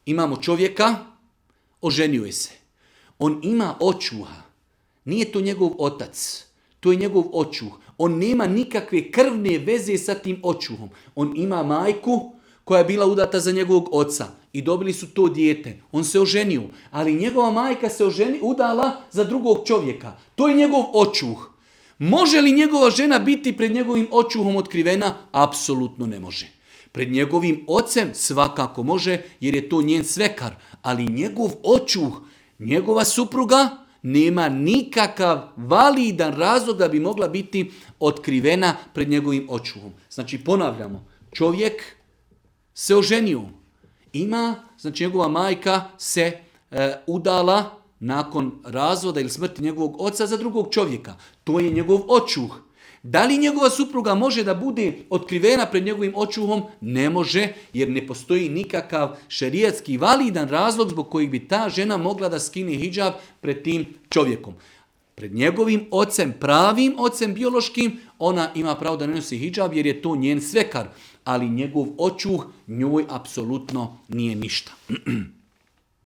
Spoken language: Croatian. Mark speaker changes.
Speaker 1: Imamo čovjeka, oženio je se. On ima očuha. Nije to njegov otac. To je njegov očuh. On nema nikakve krvne veze sa tim očuhom. On ima majku koja je bila udata za njegovog oca. I dobili su to dijete. On se oženio. Ali njegova majka se udala za drugog čovjeka. To je njegov očuh. Može li njegova žena biti pred njegovim očuhom otkrivena? Apsolutno ne može. Pred njegovim ocem svakako može, jer je to njen svekar. Ali njegov očuh, njegova supruga, nema nikakav validan razlog da bi mogla biti otkrivena pred njegovim očuhom. Znači ponavljamo, čovjek se oženio. Znači njegova majka se udala nakon razvoda ili smrti njegovog oca za drugog čovjeka. To je njegov očuh. Da li njegova supruga može da bude otkrivena pred njegovim očuhom? Ne može, jer ne postoji nikakav šerijatski validan razlog zbog kojeg bi ta žena mogla da skine hidžab pred tim čovjekom. Pred njegovim ocem, pravim ocem biološkim, ona ima pravo da ne nosi hidžab jer je to njen svekar. Ali njegov očuh njoj apsolutno nije ništa.